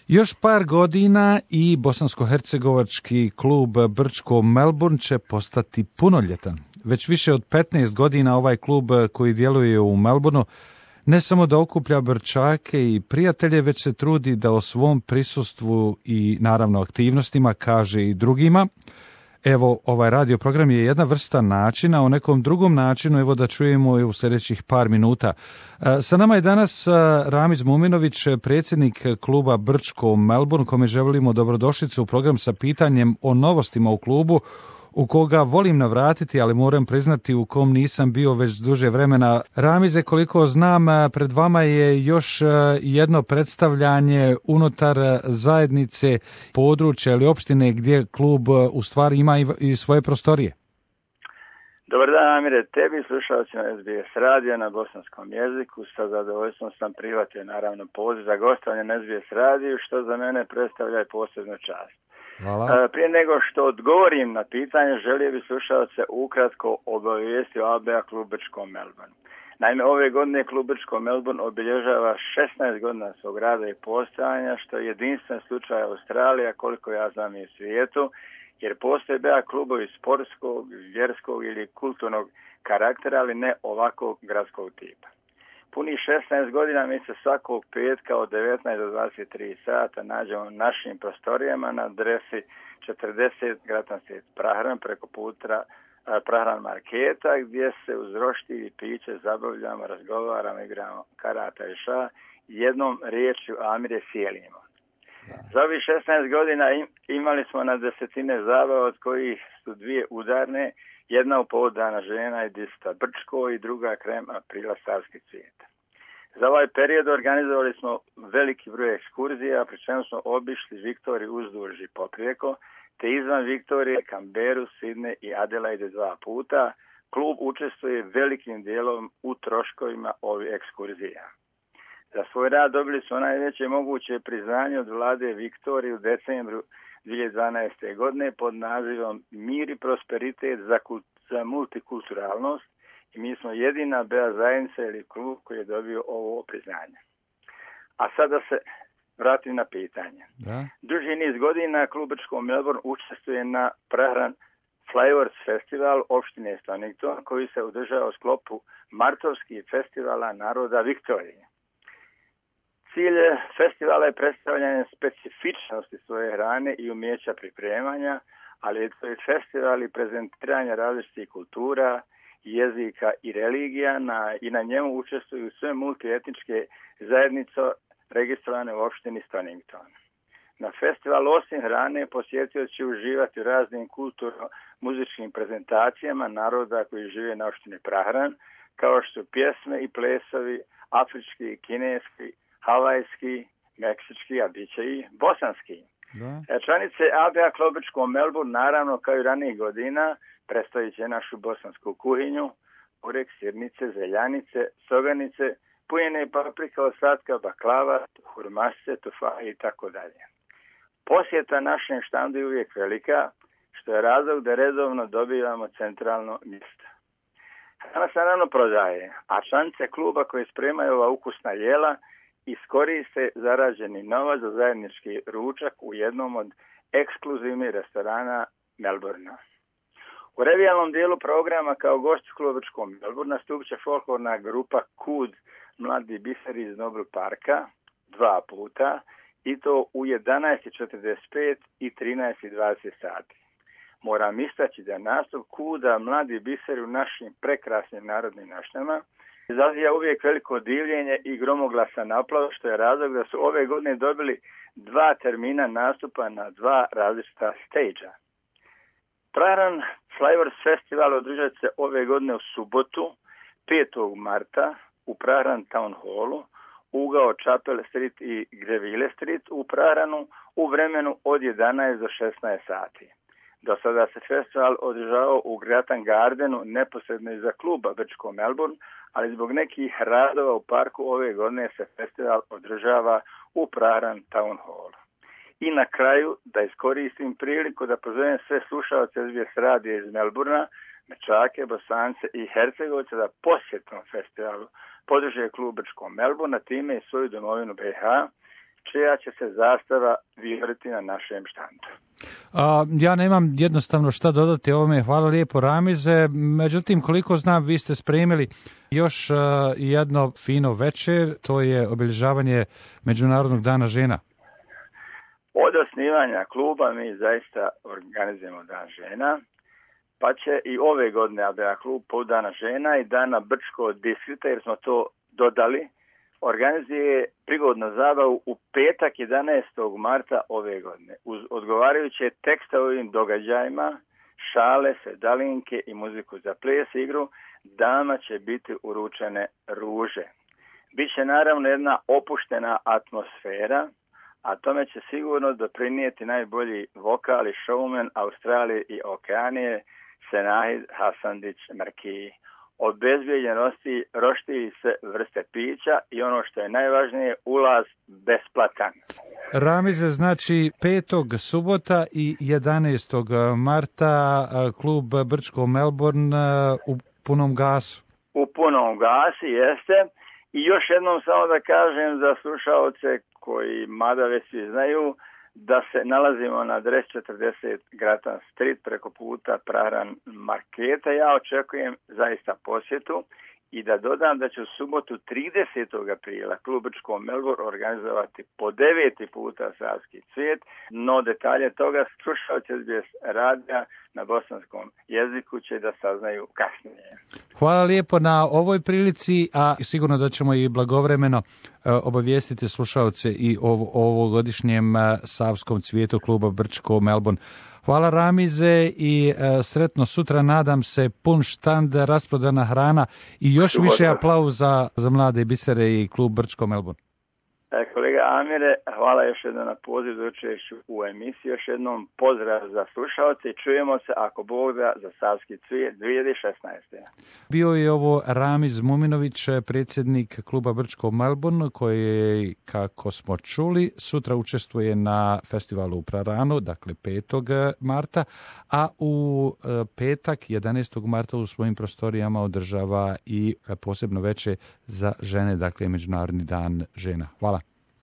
Još par godina i bosansko-hercegovački klub Brčko Melbourne će postati punoljetan. Već više od 15 godina ovaj klub koji djeluje u Melbourneu ne samo da okuplja Brčake i prijatelje, već se trudi da o svom prisustvu i naravno aktivnostima kaže i drugima. Evo, ovaj radio program je jedna vrsta načina, o nekom drugom načinu, evo da čujemo u sljedećih par minuta. Sa nama je danas Ramiz Muminović, predsjednik kluba Brčko Melbourne, kome želimo dobrodošlicu u program sa pitanjem o novostima u klubu, u koga volim navratiti, ali moram priznati u kom nisam bio već duže vremena. Ramize, koliko znam, pred vama je još jedno predstavljanje unutar zajednice područja ili opštine gdje klub u stvari ima i svoje prostorije. Dobar dan, Amire, tebi slušalcima SBS radija na bosanskom jeziku. Sa zadovoljstvom sam prihvatio naravno poziv za gostovanje na SBS radiju, što za mene predstavlja i posebnu čast. Hvala. Prije nego što odgovorim na pitanje, želio bih slušalce ukratko obavijesti o ABA klub Brčko Melbourne. Naime, ove godine klub Brčko Melbourne obilježava 16 godina svog rada i postojanja, što je jedinstven slučaj Australija, koliko ja znam i u svijetu, jer postoje BA klubovi sportskog, vjerskog ili kulturnog karaktera, ali ne ovakvog gradskog tipa. Puni 16 godina mi se svakog petka od 19 do 23 sata nađemo u našim prostorijama na adresi 40 Gratan Svet Prahran preko puta Prahran marketa, gdje se uz roštilj i piće zabavljamo, razgovaramo, igramo karata i ša, jednom riječju Amire sjelimo. Za ovih 16 godina imali smo na desetine zabava, od kojih su dvije udarne, jedna u povod Dana žena i Dista Brčko i druga krajem aprila Savski cvijet. Za ovaj period organizovali smo veliki broj ekskurzija, pri čemu smo obišli Viktoriju uzduž i poprijeko, te izvan Viktorije, Kamberu, Sidne i Adelaide 2 puta. Klub učestvuje velikim dijelom u troškovima ovih ekskurzija. Za svoj rad dobili smo najveće moguće priznanje od vlade Viktorije u decembru 2012. godine pod nazivom Mir i prosperitet za multikulturalnost i mi smo jedina BA zajednica ili klub koji je dobio ovo priznanje. A sada se vratim na pitanje. Da. Duži niz godina klub Brčko Melbourne učestvuje na Prahran Flowers Festival opštine Stonington, koji se održava u sklopu martovskih festivala naroda Viktorije. Cilj festivala je predstavljanje specifičnosti svoje hrane i umjeća pripremanja, ali je to i festival i prezentiranje različitih kultura, jezika i religija i na njemu učestvuju sve multietničke zajednice registrovane u opštini Stonington. Na festivalu osim hrane posjetioci će uživati u raznim kulturno-muzičkim prezentacijama naroda koji žive na opštini Prahran, kao što su pjesme i plesovi afrički, kineski, havajski, meksički, a bit će i bosanski. Da. Članice ABA klub Brčko Melbourne, naravno kao i ranijih godina, predstavit će našu bosansku kuhinju, burek, sirnice, zeljanice, soganice, punjene paprika, ostatka, baklava, hurmase, tufa i tako dalje. Posjeta našem štandu je uvijek velika, što je razlog da redovno dobivamo centralno mjesto. Hrana se naravno prodaje, a članice kluba koje spremaju ova ukusna jela iskoriste zarađeni novac za zajednički ručak u jednom od ekskluzivnih restorana Melbournea. U revijalnom dijelu programa kao gost kluba Brčko Melbourne nastupit će folklorna grupa Kud Mladi biseri iz Nobel parka 2 puta i to u 11:45 i 13:20 sati. Moram istaći da nastup Kuda Mladi biseri u našim prekrasnim narodnim nošnjama izaziva uvijek veliko divljenje i gromoglasan aplauz, što je razlog da su ove godine dobili 2 termina nastupa na 2 različita stage-a. Prahran Flowers Festival održat se ove godine u subotu, 5. marta, u Prahran Town Hallu, ugao Chapel Street i Greville Street u Prahranu u vremenu od 11 do 16 sati. Do sada se festival održavao u Gratan Gardenu neposredno iza kluba Brčko Melbourne, ali zbog nekih radova u parku ove godine se festival održava u Prahran Town Hallu. I na kraju da iskoristim priliku da pozovem sve slušalce SBS radija iz Melbournea, Mečake, Bosance i Hercegovce da posjetnom festivalu podrže klub Brčko Melbourne, a time i svoju domovinu BiH, čija će se zastava vioriti na našem štandu. Ja nemam jednostavno šta dodati ovome, hvala lijepo Ramize, međutim koliko znam vi ste spremili još jedno fino večer, to je obilježavanje Međunarodnog dana žena. Od osnivanja kluba mi zaista organizujemo dan žena, pa će i ove godine ABA klub po dana žena i dana Brčko distrikta, jer smo to dodali, organizuje prigodnu zabavu u petak 11. marta ove godine. Uz odgovarajuće tekste ovim događajima, šale, sedalinke i muziku za ples igru, dama će biti uručene ruže. Biće naravno jedna opuštena atmosfera, a tome će sigurno doprinijeti najbolji vokal i showman Australije i Okeanije, Senahid Hasandić Markiji. Obezbijeđenosti roštilji sve vrste pića i ono što je najvažnije, ulaz besplatan. Ramize, znači 5. subota i 11. marta klub Brčko Melbourne u punom gasu. U punom gasi jeste. I još jednom samo da kažem za slušaoce koji mada već svi znaju da se nalazimo na adresi 40 Gratan Street preko puta Prahran Marketa. Ja očekujem zaista posjetu i da dodam da će u subotu 30. aprila klub Brčko Melbourne organizovati po 9. puta Savski cvijet, no detalje toga slušalci SBS radija na bosanskom jeziku će da saznaju kasnije. Hvala lijepo na ovoj prilici, a sigurno da ćemo i blagovremeno obavijestiti slušalce i o ovogodišnjem Savskom cvijetu kluba Brčko Melbourne. Hvala Ramize i sretno sutra, nadam se, pun štand, rasprodana hrana i još više aplauza za mlade bisere i klub Brčko Melbourne. Kolega Amire, hvala još jednom na poziv za učešću u emisiji. Još jednom pozdrav za slušalce i čujemo se ako Bog da za Savski cvijet 2016. Bio je ovo Ramiz Muminović, predsjednik kluba Brčko Melbourne, koji, kako smo čuli, sutra učestvuje na festivalu u Praranu, dakle 5. marta, a u petak 11. marta u svojim prostorijama održava i posebno veče za žene, dakle Međunarodni dan žena. Hvala.